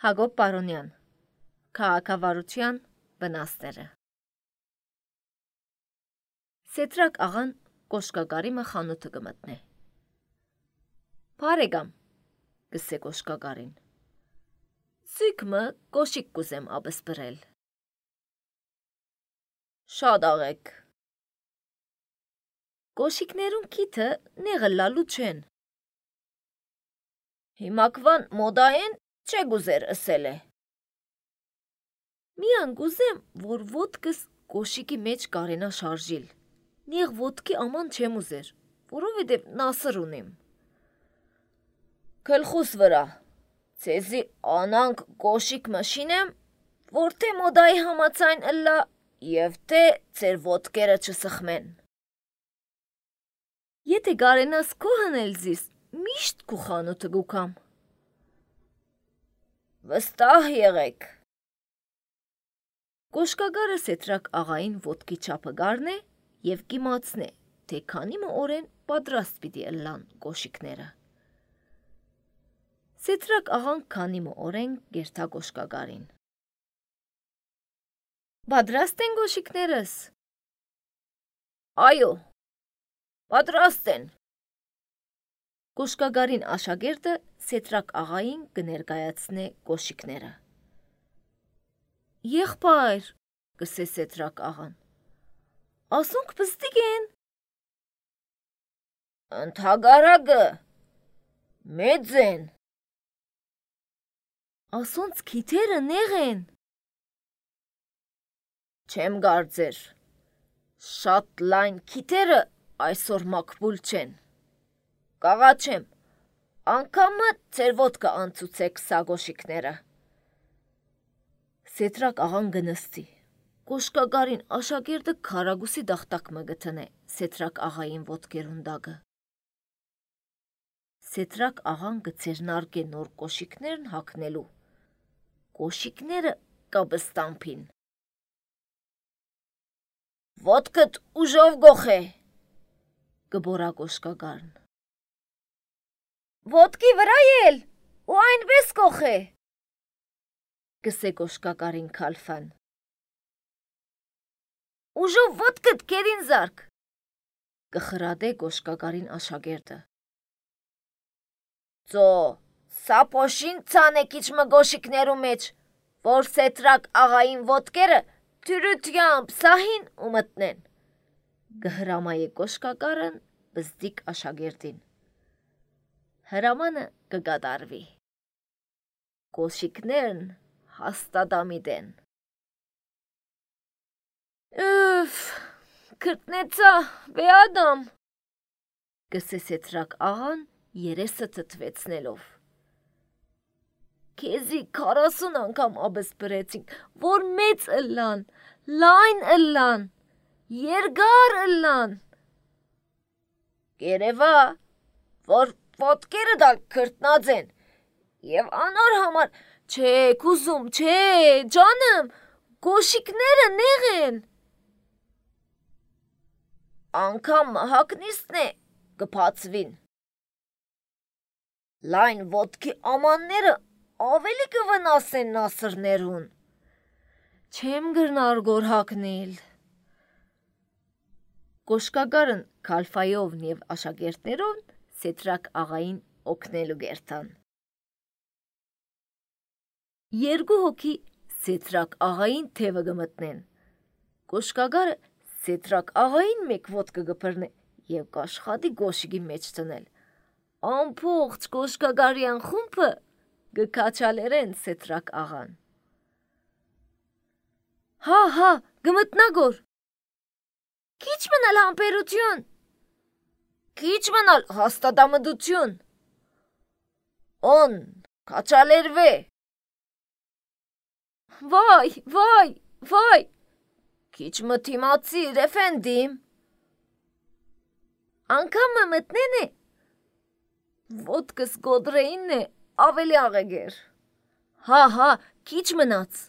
Հակոբ Պարոնյան, քաղաքավարության վնասները։ Սետրակ աղան կոշկագարիմը խանութը կմտնե։ Բարեկամ, գսե կոշկագարին։ Սույքմը կոշիկ կուզեմ աբս բրել։ Շատ աղեք։ Կոշիկներուն քիթը նեղլալու չեն։ Հիմակվան մոդային չէ գուզեր ասել է։ Միան գուզեմ, որ ոտքս կոշիկի մեջ կարենա շարժիլ։ Նեղ ոտքի աման չեմ ուզեր, որովհետև նասր ունիմ։ Քլխուս վրա, ցեզի անանք կոշիկ մշինեմ, որ թե մոդայի համացայն ըլլա և թե ծեր ոտքերը չսխմեն։ Եթե գարենաս քո հնել զիս, միշտ քու խանութը գուքամ։ Վստահ եղեք։ Կոշկագարը Սետրակ աղային ոտքի չափը գարնե և կիմացնե, թե քանի օրեն պատրաստ պիտի ըլլան կոշիկները։ Սետրակ աղան քանի օրեն գերթա կոշկագարին։ Պատրաստ են կոշիկներս։ Այո, պատրաստ են։ Կոշկագարին աշակերտը Սետրակ աղային կներկայացնե կոշիկները։ Եղբայր, գսե Սետրակ աղան, ասոնք պստիկ են։ Ընդհագարակը, մեծ են։ Ասոնց քիթերը նեղ են։ Չեմ կարծեր, շատ լայն քիթերը այսօր մակբուլ չեն։ Կաղաչեմ, անգամը ծեր ոտքը անցուցեք սա կոշիկները։ Սետրակ աղան գնստի, կոշկագարին աշակերտը քարագուսի դախտակմը գտնե Սետրակ աղային ոտքերուն դագը։ Սետրակ աղան գցերնարկե նոր կոշիկներն հակնելու։ Կոշիկները կաբստամփին։ Ոտքդ ուժով գոխե, գբորա կոշկագարն։ Ոտքի վրա էլ, ու այնպես գոխե, գսե կոշկագարին քալֆան։ Ուժով ոտքդ կերին զարք, կխրադե կոշկագարին աշակերտը։ Ծո, սա փոշին ցանեկիչ մգոշիկներու մեջ, որ Սետրակ աղային ոտքերը թյուրությամբ սահին ու մտնեն, գհրամայե կոշկագարն բզդիկ աշակերտին։ Հրամանը կգադարվի։ Կոշիկներն հաստատամիտ են։ Ուֆ, քրտնեցա, վեադամ, գսե Սետրակ աղան երեսը թթվեցնելով։ Քեզի 40 անգամ աբս բրեցինք, որ մեծ ըլլան, լայն ըլլան, երկար ըլլան։ Կերևա, որ ոտքերը դալ քրտնած են, և անոր համար, չէ, կուզում, չէ, ջանım, կոշիկները նեղ են։ Անգամ հակնիստն է կպացվին։ Լայն ոտքի ամանները ավելի կվնասեն նասրներուն։ Չեմ գրնար գոր հակնել։ Կոշկագարն քալֆայով և աշակերտներով Սետրակ աղային օգնելու գերտան։ Երկու հոգի Սետրակ աղային թևը գմտնեն։ Կոշկագարը Սետրակ աղային մեկ ոտքը գբրնե և կաշխատի գոշիկի մեջ տնել։ Ամփոխ կոշկագարյան խումբը գքաչալերեն Սետրակ աղան։ Հա, գմտնագոր։ Քիչ մնալ համբերություն։ Քիչ մնալ հաստատամտություն։ On, կաչալերվե։ Վայ, քիչ մթիմացիր, էֆենդիմ։ Անգամը մտնեն է։ Ոտքս գոդրեինն է, ավելի աղեգեր։ Հա, քիչ մնաց։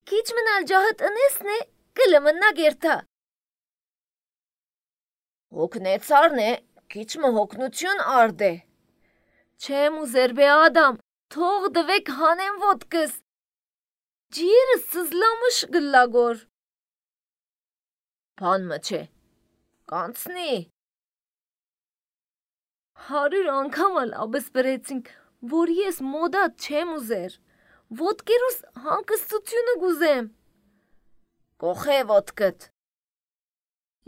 Քիչ մնալ ջահըտ ընեսն է, կլմնա գերթա։ Հոգնեցարն է, քիչ մը հոգնություն արդ է։ Չեմ ուզեր բե ադամ, թող դվեք հանեմ ոտքս, ջիրը սզլամշ գլագոր։ Բան մը չէ, կանցնի։ 100 անգամ ալ աբս բրեցինք, որ ես մոդատ չեմ ուզեր, ոտքերուս հանգստությունը գուզեմ։ Կոխե ոտքդ։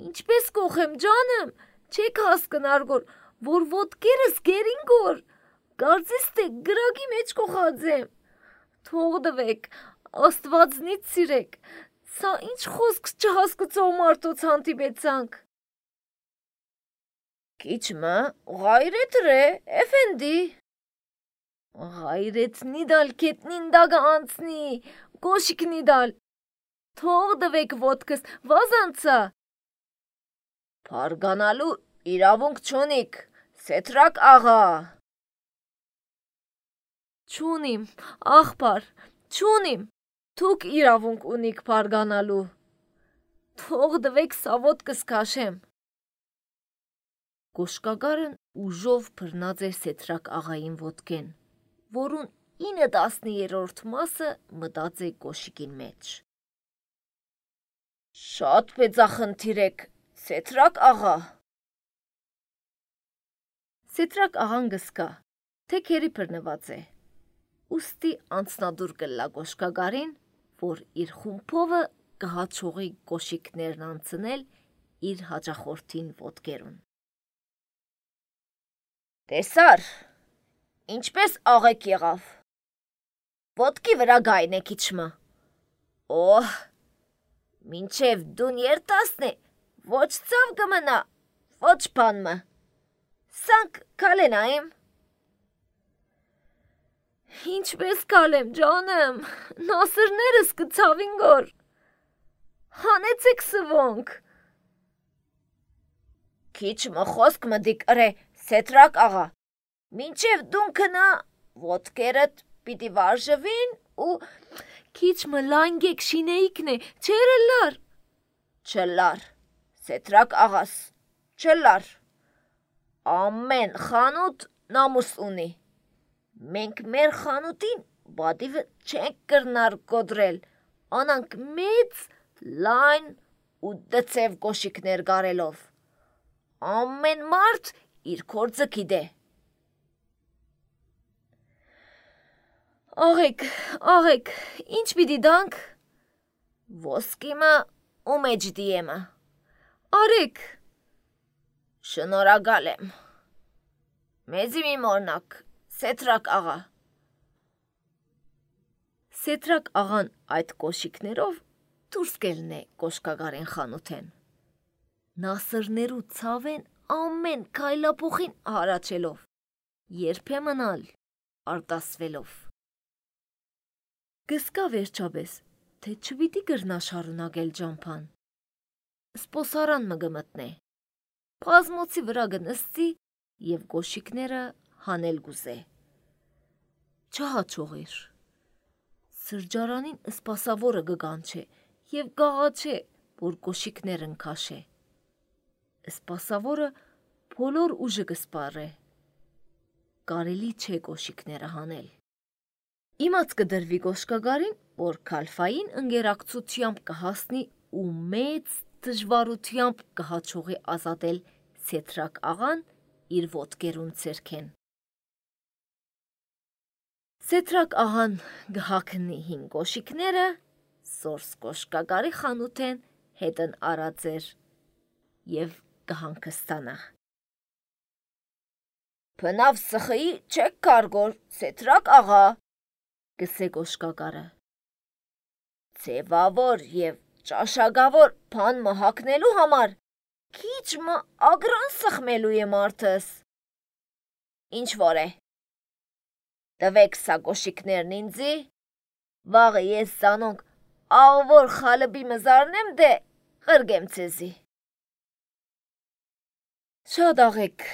Ինչպես կոխեմ ջանım, չեք հասկնար որ ոտքերս գերին գոր, կարծես թե գրագի մեջ կոխած եմ։ Թող դվեք, աստվածնից սիրեք, սա ինչ խոսք չհասկացող մարդոց հանդիպեցանք։ Քիչմը ղայրետ ռե, էֆենդի։ Ղայրետ նիդալ կետնին դագը անցնի, գոշիկ նիդալ։ Թող դվեք ոտքս, վազանցա։ Պարգանալու իրավունք չունիք, Սեթրակ աղա։ Չունիմ, աղբար, չունիմ, թուք իրավունք ունիք պարգանալու։ Թող դվեք սա ոտքս կաշեմ։ Գոշկագարն ուժով բռնած էր Սեթրակ աղային ոտքեն, որուն 9/10 մասը մտած է գոշիկին մեջ։ Շատ պեծախնդիր եք, Սեթրակ աղա։ Սեթրակ աղան գսկա, թե քերի բռնված է, ուստի անցնադուր կլա գոշկագարին, որ իր խումբովը կհաչողի գոշիկներն անցնել իր հաճախորդին ոտքերուն։ Տեսար, ինչպես աղեք եղավ։ Ոտքի վրա գայն է քիչմը։ Օհ, մինչև դուն երտասն է, ոչ ծավ կմնա, ոչ բանմը։ Սանք կալենայիմ։ Ինչպես կալեմ ջանım, նասրներս կցավին գոր։ Հանեցեք սվոնք։ Քիչմը խոսք մդիկ ըրե, Սեթրակ աղա, մինչև դուն կնա, ոտքերդ պիտի վարժվին ու քիչմը լանգեք շինեիքն է, չերը լար։ Չլար, Սեթրակ աղաս, չլար։ Ամեն խանութ նամուս ունի։ Մենք մեր խանութին բադիվը չենք կրնար կոդրել, անանք մեծ, լայն ու դծև գոշիկներ գարելով։ Ամեն մարդ իր կործը գիտե։ Աղեք, ինչ պիտի դանք։ Ոսկիմը ու մեջ դիեմը։ Արեք։ Շնորհակալ եմ։ Մեզի մի մորնակ, Սեթրակ աղա։ Սեթրակ աղան այդ կոշիկներով դուրս կելն է գոշկագարեն խանութեն։ Նասրներու ցավեն ամեն քայլափոխին հարաչելով, երբեմն ալ արտասվելով։ Գսկա վերջապես, թե չպիտի գրնա շարունակել ջամփան։ Սպոսարան մը գմտնե։ Բազմոցի վրա գնստի և գոշիկները հանել գուզե։ Չհաչողիր։ Սրջարանին սպասավորը գգանչե և գաղաչե, որ գոշիկներն քաշե։ Սպասավորը բոլոր ուժը կսպարե։ Կարելի չէ գոշիկները հանել։ Իմաց կդրվի գոշկագարին, որ քալֆային ընկերակցությամբ կհասնի ու մեծ դժվարությամբ կհաչողի ազատել Սեթրակ աղան իր ոտքերուն ցերքեն։ Սեթրակ աղան գհակնի հին գոշիկները, սորս գոշկագարի խանութեն հետն արածեր և կհանգստանա։ Բնավ սխի չեք կարգոր, Սեթրակ աղա, գսե գոշկագարը։ Ձևավոր և ճաշակավոր բան մհակնելու համար քիչմը ագրան սխմելու է մարդս։ Ինչ որ է։ Տվեք սա գոշիկներն ինձի, վաղը ես զանոնք աղվոր խալբի մզարնեմ դե ղրգեմ ցեզի։ Շատ աղեք,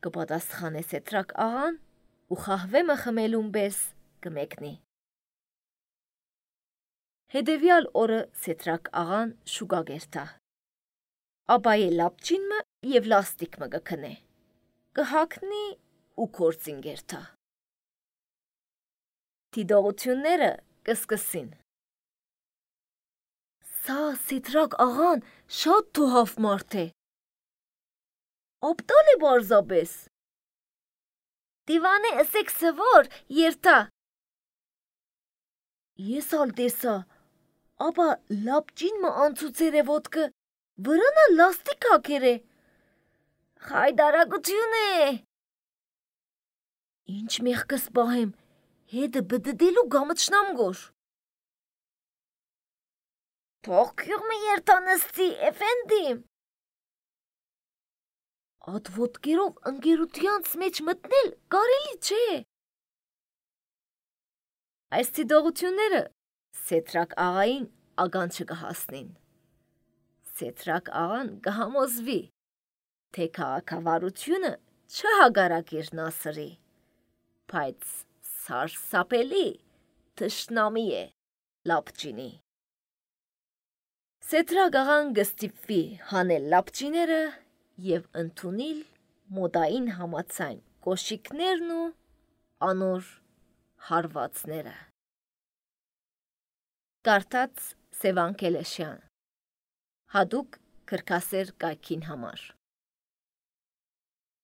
կպատասխանե Սեթրակ աղան ու խահվեմը խմելուն պես կմեկնի։ Հետևյալ օրը Սեթրակ աղան շուկա գերտա։ Ապայե լապչինմը և լաստիկմը գքնե։ Կհակնի ու կործին գերտա։ Դիտողությունները կսկսին։ Սա Սեթրակ աղան շատ թոհավ մարդ է։ Ապտալ է բարձապես։ Դիվանե ըսեք սվոր երթա։ Ես ալ տեսա, ապա լապճին մը անցուցեր է ոտքը, վրանա լաստիկ հակեր է։ Խայդարագություն է։ Ինչ մեղքս պահեմ, հետը բդդելու գամտշնամ գոր։ Թող քյուղմը երթանստի, էֆենդիմ։ Ատ ոտքերով ընկերությանց մեջ մտնել կարելի չէ։ Այս դիտողությունները Սեթրակ աղային ագանչը կհասնին։ Սեթրակ աղան կհամոզվի, թե քաղաքավարությունը չհագարակիր Նասրի, բայց սարսափելի թշնամի է լապճինի։ Սեթրակ աղան կստիպվի հանել լապճիները և ընդունել մոդային համաձայն կոշիկներն ու անոր հարվածները։ Կարդաց Սևան Քելեշյան, հատուկ քրքասեր կայքին համար։